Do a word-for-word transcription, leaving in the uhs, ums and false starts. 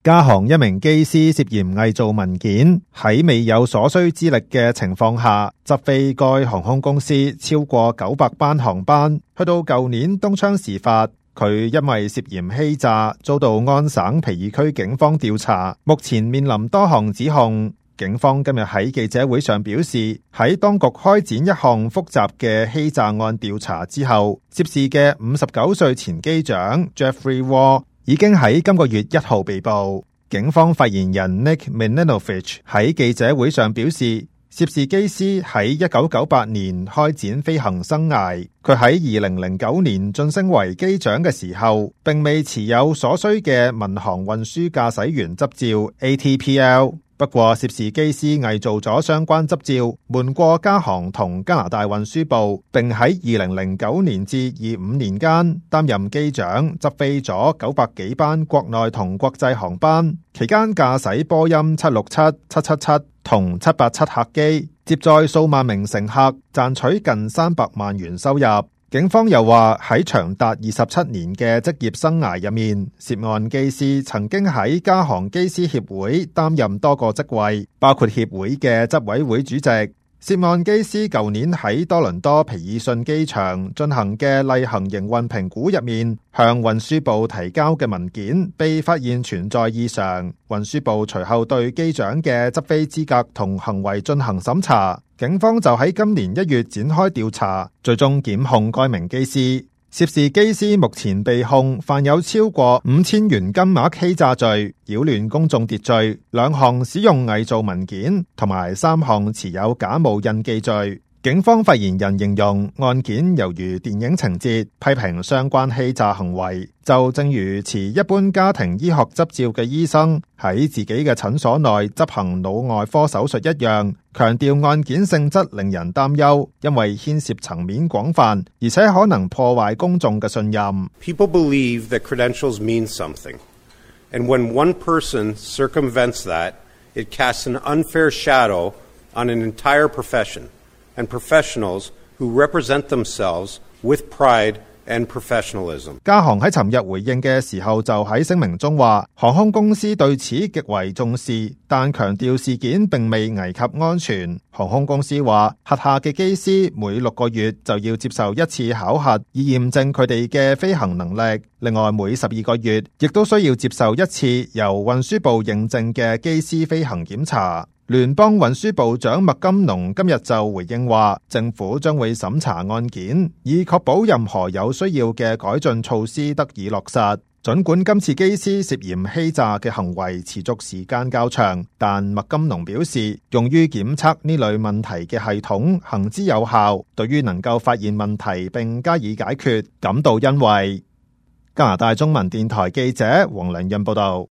加航一名機師涉嫌偽造文件，喺未有所需資歷嘅情況下，執飛該航空公司超過九百班航班。去到舊年東窗事發，佢因為涉嫌欺詐，遭到安省皮爾區警方調查，目前面臨多項指控。警方今日喺記者會上表示，喺當局開展一項複雜嘅欺詐案調查之後，涉事嘅五十九歲前機長 Jeffrey Wall 已經喺今個月一號被捕。警方發言人 Nick Minenovich 喺記者會上表示，涉事機師喺一九九八年開展飛行生涯，佢喺二零零九年晉升為機長嘅時候，並未持有所需嘅民航運輸駕駛員執照 A T P L。不過，涉事機師偽造咗相關執照，瞞過加航同加拿大運輸部，並喺二零零九年至二五年間擔任機長，執飛咗九百幾班國內同國際航班，期間駕駛波音七六七、七七七同七八七客機，接載數萬名乘客，賺取近三百萬元收入。警方又話喺長達二十七年嘅職業生涯入面，涉案機師曾經喺加航機師協會擔任多個職位，包括協會嘅執委會主席。涉案機師舊年喺多倫多皮爾遜機場進行嘅例行營運評估入面，向運輸部提交嘅文件被發現存在異常。運輸部隨後對機長嘅執飛資格同行為進行審查，警方就喺今年一月展開調查，最終檢控該名機師。涉事機師目前被控犯有超過五千元金額欺詐罪、擾亂公眾秩序、兩項使用偽造文件同埋三項持有假冒印記罪。警方發言人形容案件猶如電影情節，批評相關欺詐行為就正如持一般家庭醫學執照嘅醫生喺自己嘅診所內執行腦外科手術一樣，強調案件性質令人擔憂，因為牽涉層面廣泛，而且可能破壞公眾嘅信任。 People believe that credentials mean something, and when one person circumvents that, it casts an unfair shadow on an entire profession.And professionals who represent themselves with pride and professionalism. 加航喺尋日回應嘅時候就喺聲明中話，航空公司對此極為重視，但強調事件並未危及安全。航空公司話，轄下嘅機師每六個月就要接受一次考核，以驗證佢哋嘅飛行能力。另外，每十二個月亦都需要接受一次由運輸部認證嘅機師飛行檢查。聯邦運輸部長麥金農今日就回應話，政府將會審查案件，以確保任何有需要嘅改進措施得以落實。儘管今次機師涉嫌欺詐嘅行為持續時間較長，但麥金農表示，用於檢測呢類問題嘅系統行之有效，對於能夠發現問題並加以解決感到欣慰。加拿大中文電台記者黃良潤報道。